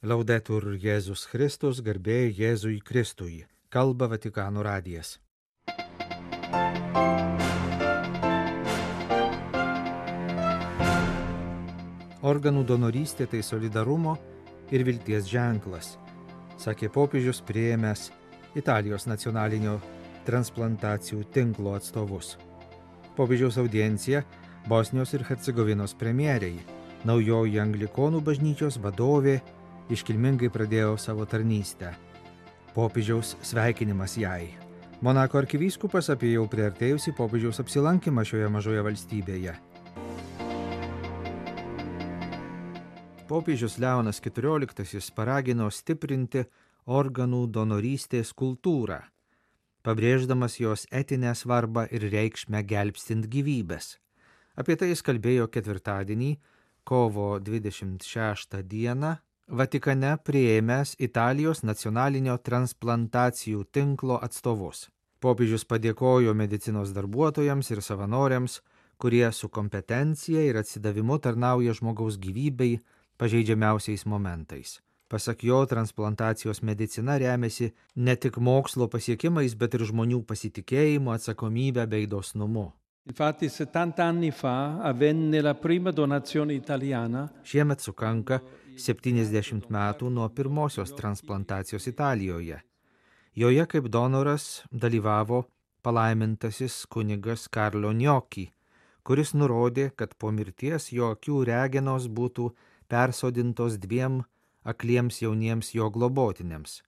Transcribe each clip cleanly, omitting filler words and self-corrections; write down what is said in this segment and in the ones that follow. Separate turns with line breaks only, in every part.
Laudetur Jėzus Kristus, garbė Jėzui Kristui. Kalba Vatikano radijas. Organų donorystė tai solidarumo ir vilties ženklas, sakė popiežius priėmęs Italijos nacionalinio transplantacijų tinklo atstovus. Popiežiaus audiencija Bosnijos ir Hercegovinos premjerei, naujoji Anglikonų bažnyčios vadovė, iškilmingai pradėjo savo tarnystę. Popiežiaus sveikinimas jai. Monako arkivyskupas apie jau priartėjusi popiežiaus apsilankymą šioje mažoje valstybėje. Popiežius Leonas XIV paragino stiprinti organų donorystės kultūrą, pabrėždamas jos etinę svarbą ir reikšmę gelbstint gyvybes. Apie tai jis kalbėjo ketvirtadienį, kovo 26 dieną, Vatikane priėmęs Italijos nacionalinio transplantacijų tinklo atstovus. Popiežius padėkojo medicinos darbuotojams ir savanoriams, kurie su kompetencija ir atsidavimu tarnauja žmogaus gyvybei pažeidžiamiausiais momentais. Pasak jo, transplantacijos medicina remiasi ne tik mokslo pasiekimais, bet ir žmonių pasitikėjimu, atsakomybę bei dosnumu.
Infatti 70 anni fa avvenne la prima donazione italiana.
Šiemet sukanka 70 metų nuo pirmosios transplantacijos Italijoje. Joje kaip donoras dalyvavo palaimintasis kunigas Karlo Gnocchi, kuris nurodė, kad po mirties jo akių regenos būtų persodintos 2 akliems jauniems jo globotiniams.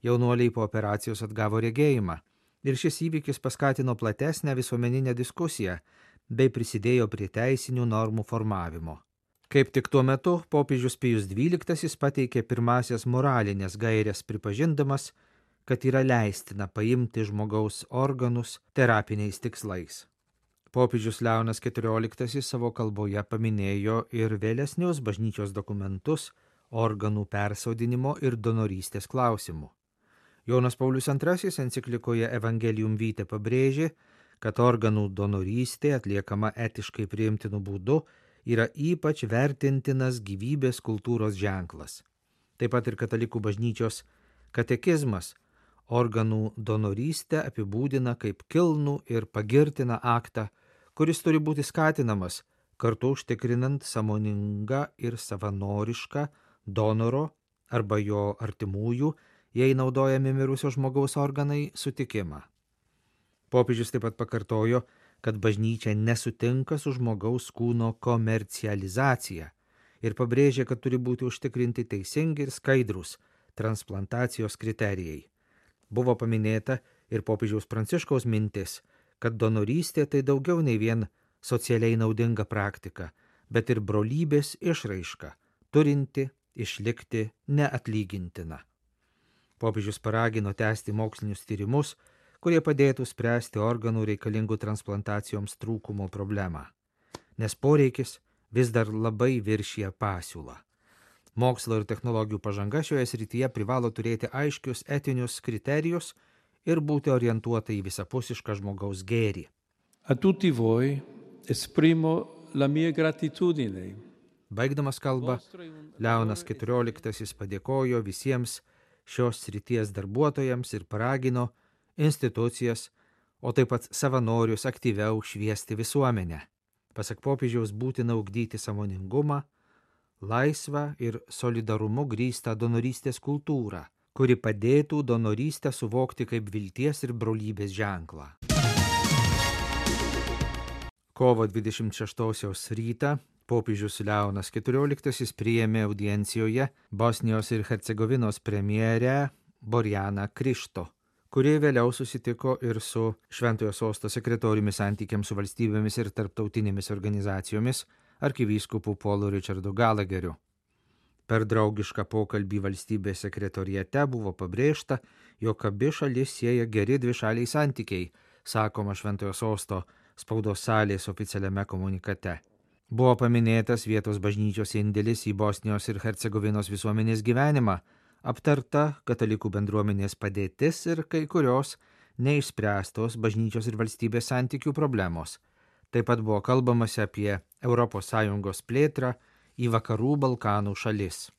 Jaunuoliai po operacijos atgavo regėjimą. Ir šis įvykis paskatino platesnę visuomeninę diskusiją bei prisidėjo prie teisinių normų formavimo. Kaip tik tuo metu popiežius Pijus XII pateikė pirmasias moralinės gaires, pripažindamas, kad yra leistina paimti žmogaus organus terapiniais tikslais. Popiežius Leonas XIV savo kalboje paminėjo ir vėlesnius bažnyčios dokumentus organų persodinimo ir donorystės klausimų. Jonas Paulius II enciklikoje Evangelium Vitae pabrėžė, kad organų donorystė atliekama etiškai priimtinu būdu yra ypač vertintinas gyvybės kultūros ženklas. Taip pat ir katalikų bažnyčios katekizmas organų donorystę apibūdina kaip kilnų ir pagirtiną aktą, kuris turi būti skatinamas, kartu užtikrinant sąmoningą ir savanorišką donoro arba jo artimųjų, jei naudojami mirusio žmogaus organai, sutikimą. Popiežius taip pat pakartojo, kad bažnyčia nesutinka su žmogaus kūno komercializacija ir pabrėžė, kad turi būti užtikrinti teisingi ir skaidrūs transplantacijos kriterijai. Buvo paminėta ir popiežiaus Pranciškaus mintis, kad donorystė tai daugiau nei vien socialiai naudinga praktika, bet ir brolybės išraiška, turinti išlikti neatlygintina. Popiežius paragino tęsti mokslinius tyrimus, kurie padėtų spręsti organų reikalingų transplantacijoms trūkumo problemą, nes poreikis vis dar labai viršija pasiūlą. Mokslo ir technologijų pažanga šioje srityje privalo turėti aiškius etinius kriterijus ir būti orientuota į visapusišką žmogaus gėrį.
A tutti voi esprimo la mia gratitudine.
Baigdamas kalbą, Leonas XIV padėkojo visiems šios srities darbuotojams ir paragino institucijas, o taip pat savanorius aktyviau šviesti visuomenę. Pasak popiežiaus būtina ugdyti sąmoningumą, laisvą ir solidarumu grįstą donorystės kultūrą, kuri padėtų donorystę suvokti kaip vilties ir brolybės ženklą. Kovo 26 rytą popiežius Leonas XIV priėmė audiencijoje Bosnijos ir Hercegovinos premjerę Borjaną Krišto, kuri vėliau susitiko ir su Šventojo sosto sekretoriumi santykiams su valstybėmis ir tarptautinėmis organizacijomis arkivyskupu Paulu Richardu Gallagheriu. Per draugišką pokalbį valstybės sekretoriate buvo pabrėžta, jog abi šalis sieja geri dvišaliai santykiai, sakoma Šventojo sosto spaudos salės oficialiame komunikate. Buvo paminėtas vietos bažnyčios indėlis į Bosnijos ir Hercegovinos visuomenės gyvenimą, aptarta katalikų bendruomenės padėtis ir kai kurios neišspręstos bažnyčios ir valstybės santykių problemos. Taip pat buvo kalbamasi apie ES plėtrą į vakarų Balkanų šalis.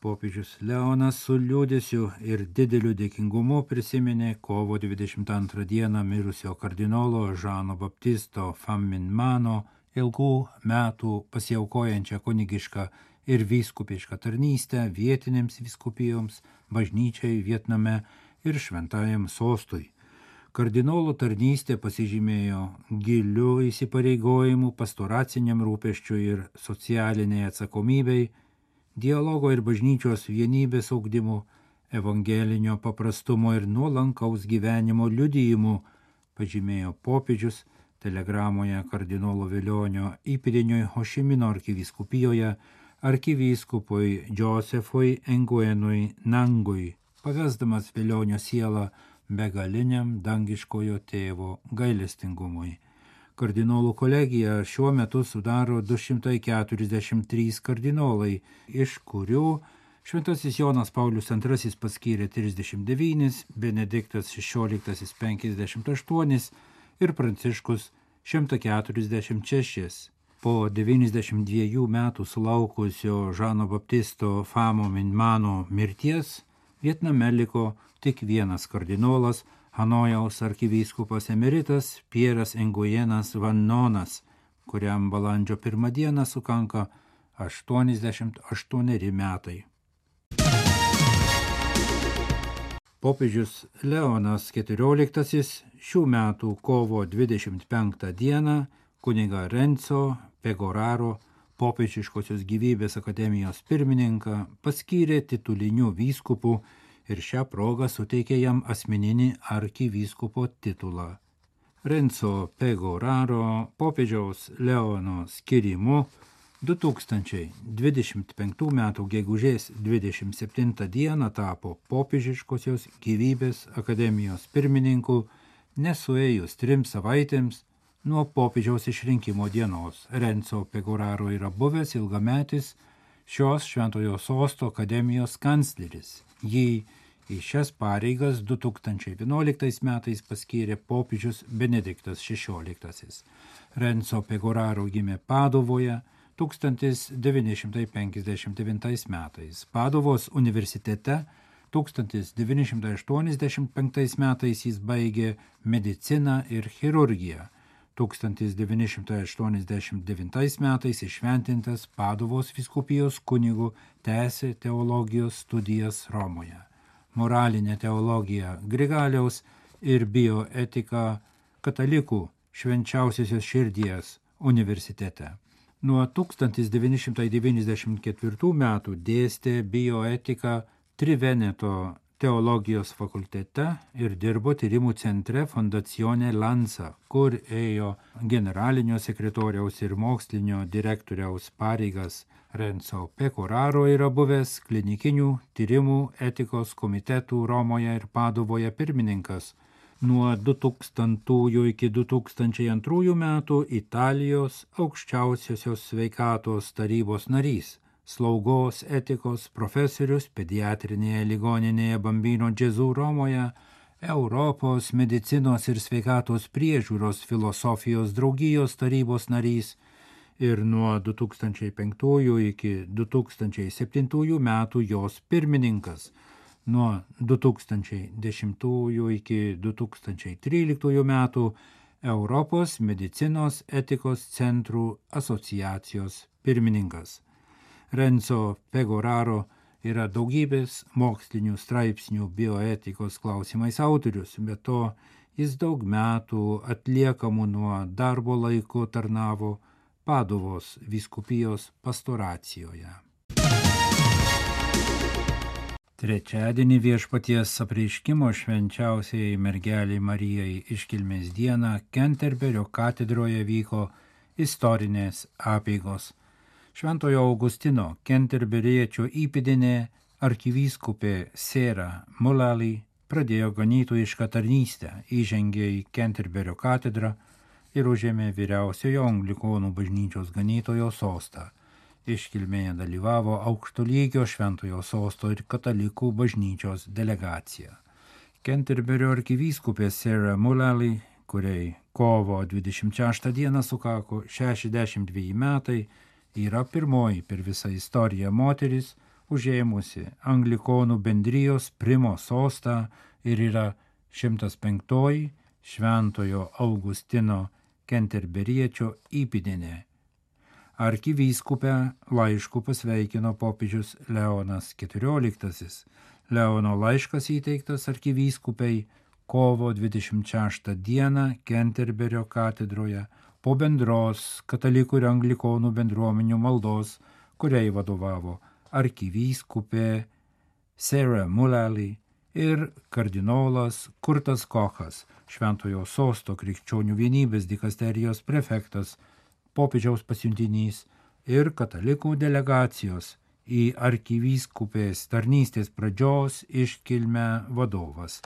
Popiežius Leonas su liūdesiu ir dideliu dėkingumu prisiminė kovo 22 dieną mirusio kardinolo Žano Baptisto Famminmano ilgų metų pasiaukojančią kunigišką ir vyskupišką tarnystę vietinėms vyskupijoms, bažnyčiai Vietname ir šventajam sostui. Kardinolo tarnystė pasižymėjo giliu įsipareigojimu pastoraciniam rūpesčiui ir socialiniai atsakomybei, dialogo ir bažnyčios vienybės ugdymu, evangelinio paprastumo ir nuolankaus gyvenimo liudijimu, pažymėjo popiežius telegramoje kardinolo Velionio įpėdiniui Hošimino arkivyskupijoje arkivyskupui Josefui Nguyenui Nangui, pavesdamas Velionio sielą begaliniam dangiškojo tėvo gailestingumui. Kardinolų kolegija šiuo metu sudaro 243 kardinolai, iš kurių Šventasis Jonas Paulius II paskyrė 39, Benediktas XVI 58 ir Pranciškus 146. Po 92 metų sulaukusio Žano Baptisto Famminmano mirties Vietname liko tik vienas kardinolas, Hanojaus arkivyskupas emeritas Pieras Nguyenas Van Nonas, kuriam balandžio 1 dieną sukanka 88 metai. Popiežius Leonas XIV šių metų kovo 25 dieną kunigą Renzo Pegoraro, popiežiškosios gyvybės akademijos pirmininką, paskyrė tituliniu vyskupu ir šią progą suteikė jam asmeninį arkivyskupo titulą. Renzo Pegoraro popiežiaus Leono skirimu 2025 m. gegužės 27 dieną tapo popiežiškosios gyvybės akademijos pirmininku nesuėjus 3 savaitėms nuo popiežiaus išrinkimo dienos. Renzo Pegoraro yra buvęs ilgametis šios Šventojo Sosto akademijos kancleris. Jį į šias pareigas 2011 metais paskyrė popiežius Benediktas XVI. Renzo Pegoraro gimė Padovoje 1959 metais. Padovos universitete 1985 metais jis baigė mediciną ir chirurgiją. 1989 metais iššventintas Padovos vyskupijos kunigu, tęsė teologijos studijas Romoje. Moralinė teologija Grigaliaus ir bioetika katalikų Švenčiausiosios širdies universitete. Nuo 1994 metų dėstė bioetiką Triveneto teologijos fakultete ir dirbo tyrimų centre Fondazione Lanza, kur ėjo generalinio sekretoriaus ir mokslinio direktoriaus pareigas. Renzo Pegoraro yra buvęs klinikinių tyrimų etikos komitetų Romoje ir Padovoje pirmininkas. Nuo 2000 iki 2002 metų Italijos aukščiausiosios sveikatos tarybos narys, slaugos etikos profesorius pediatrinėje ligoninėje Bambino Gesù Romoje, Europos medicinos ir sveikatos priežiūros filosofijos draugijos tarybos narys ir nuo 2005 iki 2007 metų jos pirmininkas. Nuo 2010 iki 2013 metų Europos medicinos etikos centrų asociacijos pirmininkas. Renzo Pegoraro yra daugybės mokslinių straipsnių bioetikos klausimais autorius, be to jis daug metų atliekamų nuo darbo laiku tarnavo Padovos vyskupijos pastoracijoje. Trečiadienį Viešpaties apreiškimo švenčiausiai mergelei Marijai iškilmės dieną Kenterberio katedroje vyko istorinės apeigos. Šventojo Augustino kenterberiečio įpėdinė arkivyskupė Sera Mullally pradėjo ganytojišką tarnystę, įžengė į Kenterberio katedrą ir užėmė vyriausiojo anglikonų bažnyčios ganytojo sostą. Iškilmėje dalyvavo aukšto lygio Šventojo Sosto ir katalikų bažnyčios delegacija. Kenterberio arkivyskupė Sera Mullally, kuriai kovo 26 dieną sukako 62 metai, yra pirmoji per visą istoriją moteris, užėmusi Anglikonų bendrijos Primo sostą ir yra 105 Šventojo Augustino Kenterberiečio įpėdinė. Arkivyskupę laišku pasveikino popiežius Leonas XIV. Leono laiškas įteiktas arkivyskupei kovo 26 dieną Kenterberio katedroje po bendros katalikų ir anglikonų bendruomenių maldos, kuriai vadovavo arkivyskupė Sarah Mullally ir kardinolas Kurtas Kochas, Šventojo sosto krikščionių vienybės dikasterijos prefektas, popiežiaus pasiuntinys ir katalikų delegacijos į arkivyskupės tarnystės pradžios iškilmę vadovas.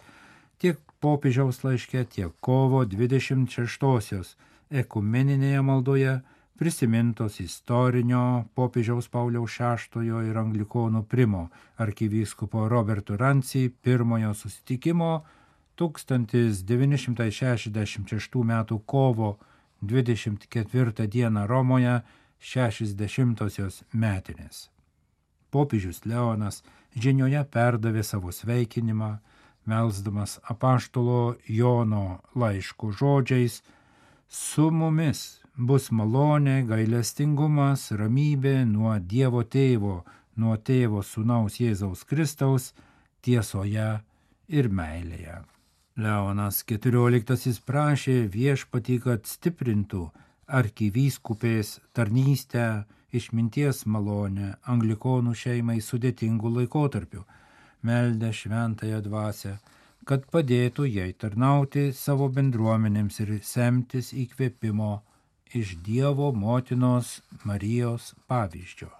Tiek popiežiaus laiške, tiek kovo 26-osios ekumeninėje maldoje prisimintos istorinio popiežiaus Pauliaus VI ir anglikonų Primo arkivyskupo Roberto Ranci pirmojo susitikimo 1966 m. kovo 24 d. Romoje 60-osios metinės. Popiežius Leonas žinioje perdavė savo sveikinimą, melsdamas apaštalo Jono laiško žodžiais: su mumis bus malonė, gailestingumas, ramybė nuo Dievo Tėvo, nuo Tėvo Sūnaus Jėzaus Kristaus, tiesoje ir meilėje. Leonas XIV prašė viešpatį, kad stiprintų arkivyskupės tarnystę, išminties malonę anglikonų šeimai sudėtingų laikotarpių, meldė šventąją dvasią, kad padėtų jai tarnauti savo bendruomenėms ir semtis įkvėpimo iš Dievo motinos Marijos pavyzdžio.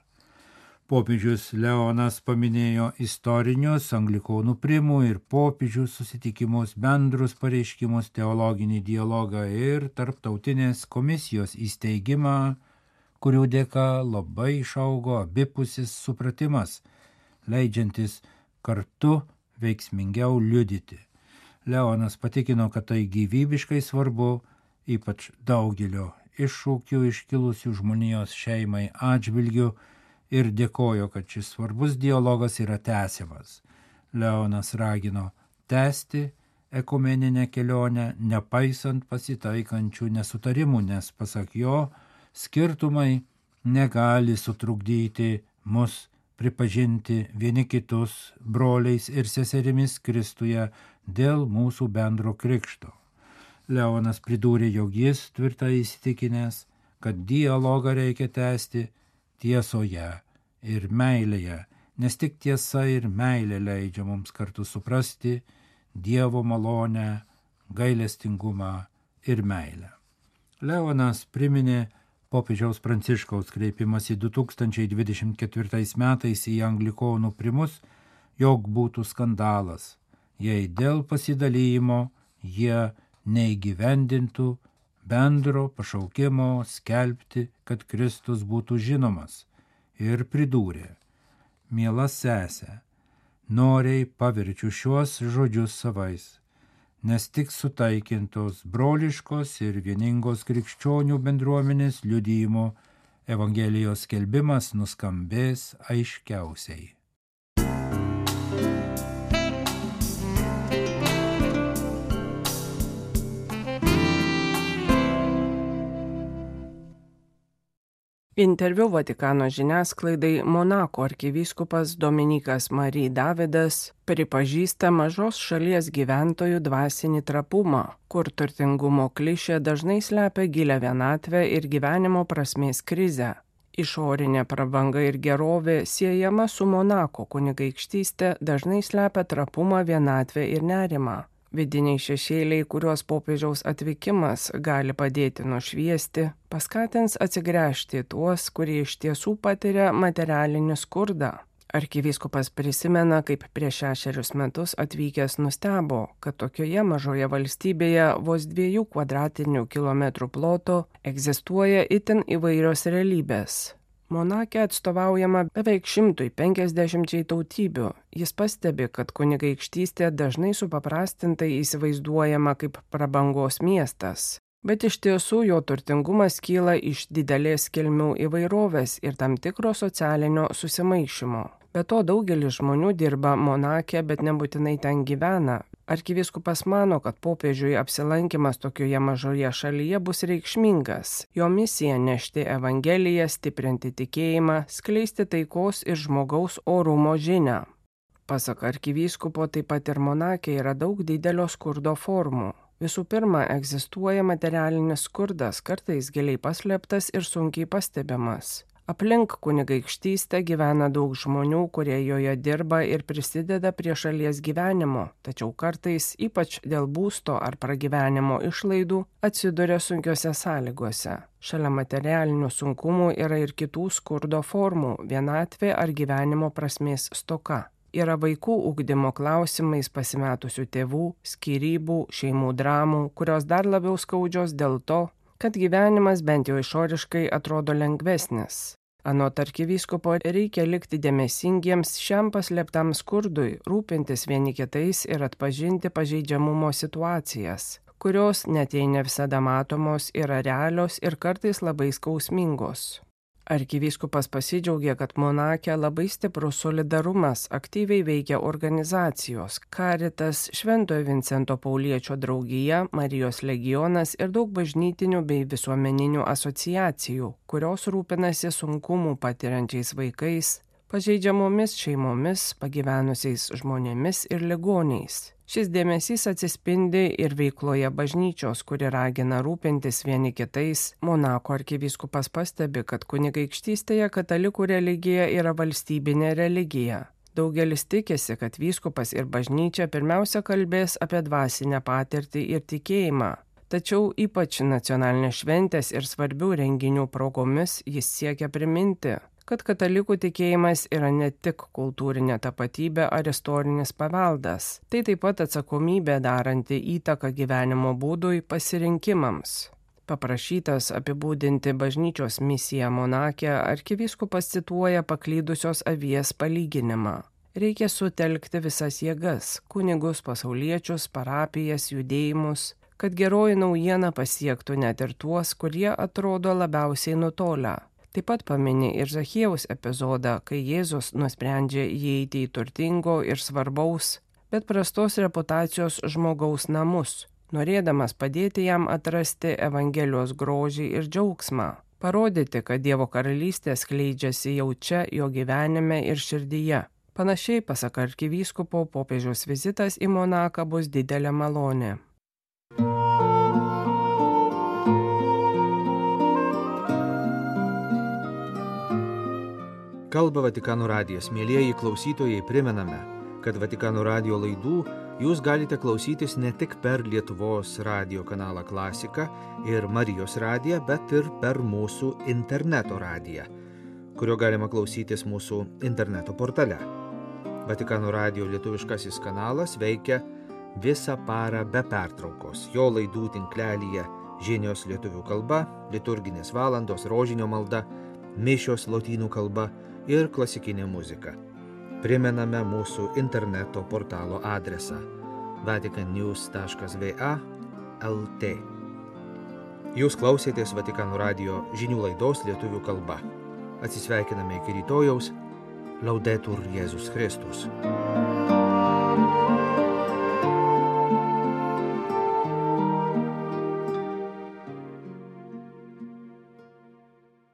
Popiežius Leonas paminėjo istorinius anglikonų Primų ir popiežių susitikimus, bendrus pareiškimus, teologinį dialogą ir tarptautinės komisijos įsteigimą, kurių dėka labai išaugo abipusis supratimas, leidžiantis kartu veiksmingiau liudyti. Leonas patikino, kad tai gyvybiškai svarbu, ypač daugelio iššūkių iškilusių žmonijos šeimai atžvilgių, ir dėkojo, kad šis svarbus dialogas yra tęsiamas. Leonas ragino tęsti ekumeninę kelionę, nepaisant pasitaikančių nesutarimų, nes pasak jo, skirtumai negali sutrukdyti mus pripažinti vieni kitus broliais ir seserimis Kristuje dėl mūsų bendro krikšto. Leonas pridūrė, jog jis tvirtai įsitikinęs, kad dialogą reikia tęsti tiesoje ir meilėje, nes tik tiesa ir meilė leidžia mums kartu suprasti Dievo malonę, gailestingumą ir meilę. Leonas priminė popiežiaus Pranciškaus kreipimąsi 2024 metais į anglikonų Primus, jog būtų skandalas, jei dėl pasidalijimo jie neįgyvendintų bendro pašaukimo skelbti, kad Kristus būtų žinomas, ir pridūrė: miela sesė, noriai paverčiu šiuos žodžius savais, nes tik sutaikintos broliškos ir vieningos krikščionių bendruomenės liudijimo Evangelijos skelbimas nuskambės aiškiausiai.
Interviu Vatikano žiniasklaidai Monako arkivyskupas Dominikas Marie Davidas pripažįsta mažos šalies gyventojų dvasinį trapumą, kur turtingumo klišė dažnai slepia gilią vienatvę ir gyvenimo prasmės krizę. Išorinė prabanga ir gerovė siejama su Monako kunigaikštystė dažnai slepia trapumą, vienatvę ir nerimą. Vidiniai šešėliai, kuriuos popiežiaus atvykimas gali padėti nušviesti, paskatins atsigręžti tuos, kurie iš tiesų patiria materialinį skurdą. Arkivyskupas prisimena, kaip prieš 6 metus atvykęs nustebo, kad tokioje mažoje valstybėje vos 2 kvadratinių kilometrų ploto egzistuoja itin įvairios realybės. Monake atstovaujama beveik 150 tautybių. Jis pastebi, kad kunigaikštystė dažnai supaprastintai įsivaizduojama kaip prabangos miestas. Bet iš tiesų jo turtingumas kyla iš didelės kilmių įvairovės ir tam tikro socialinio susimaišymo. Be to daugelis žmonių dirba Monake, bet nebūtinai ten gyvena. Arkivyskupas mano, kad popiežiui apsilankimas tokioje mažoje šalyje bus reikšmingas. Jo misija nešti evangeliją, stiprinti tikėjimą, skleisti taikos ir žmogaus orumo žinią. Pasak arkivyskupo, taip pat ir Monake yra daug didelio skurdo formų. Visų pirma, egzistuoja materialinis skurdas, kartais giliai paslėptas ir sunkiai pastebimas. Aplink kunigaikštystę gyvena daug žmonių, kurie joje dirba ir prisideda prie šalies gyvenimo, tačiau kartais, ypač dėl būsto ar pragyvenimo išlaidų, atsiduria sunkiose sąlygose. Šalia materialinių sunkumų yra ir kitų skurdo formų – vienatvė ar gyvenimo prasmės stoka. Yra vaikų ugdymo klausimais pasimetusių tėvų, skyrybų, šeimų dramų, kurios dar labiau skaudžios dėl to, kad gyvenimas bent jau išoriškai atrodo lengvesnis. Anot arkivyskupo reikia likti dėmesingiems šiam paslėptam skurdui, rūpintis vieni kitais ir atpažinti pažeidžiamumo situacijas, kurios net jei ne visada matomos yra realios ir kartais labai skausmingos. Arkivyskupas pasidžiaugė, kad Monake labai stiprus solidarumas, aktyviai veikia organizacijos Caritas, Šventojo Vincento Pauliečio draugija, Marijos legionas ir daug bažnytinių bei visuomeninių asociacijų, kurios rūpinasi sunkumų patiriančiais vaikais, pažeidžiamomis šeimomis, pagyvenusiais žmonėmis ir ligoniais. Šis dėmesys atsispindi ir veikloje bažnyčios, kuri ragina rūpintis vieni kitais. Monako arkivyskupas pastebi, kad kunigaikštystėje katalikų religija yra valstybinė religija. Daugelis tikisi, kad vyskupas ir bažnyčia pirmiausia kalbės apie dvasinę patirtį ir tikėjimą. Tačiau ypač nacionalinės šventės ir svarbių renginių progomis jis siekia priminti, kad katalikų tikėjimas yra ne tik kultūrinė tapatybė ar istorinis paveldas, tai taip pat atsakomybė daranti įtaką gyvenimo būdui pasirinkimams. Paprašytas apibūdinti bažnyčios misiją Monake, arkivyskupas cituoja paklydusios avies palyginimą. Reikia sutelkti visas jėgas – kunigus, pasauliečius, parapijas, judėjimus, kad geroji naujiena pasiektų net ir tuos, kurie atrodo labiausiai nutolę. Taip pat pamini ir Zachiejaus epizodą, kai Jėzus nusprendžia įeiti į turtingo ir svarbaus, bet prastos reputacijos žmogaus namus, norėdamas padėti jam atrasti Evangelijos grožį ir džiaugsmą, parodyti, kad Dievo karalystė skleidžiasi jau čia jo gyvenime ir širdyje. Panašiai, pasak arkivyskupo, popiežiaus vizitas į Monaką bus didelė malonė.
Kalba Vatikano radijas. Mielieji klausytojai, primename, kad Vatikano radijo laidų jūs galite klausytis ne tik per Lietuvos radijo kanalą Klasika ir Marijos radiją, bet ir per mūsų interneto radiją, kurio galima klausytis mūsų interneto portale. Vatikano radijo lietuviškasis kanalas veikia visą parą be pertraukos. Jo laidų tinklelyje žinios lietuvių kalba, liturginės valandos, rožinio malda, mišios lotynų kalba ir klasikinė muzika. Primename mūsų interneto portalo adresą vaticannews.va/lt. Jūs klausėtės Vatikano radijo žinių laidos lietuvių kalba. Atsisveikiname iki rytojaus. Laudetur Jėzus Kristus.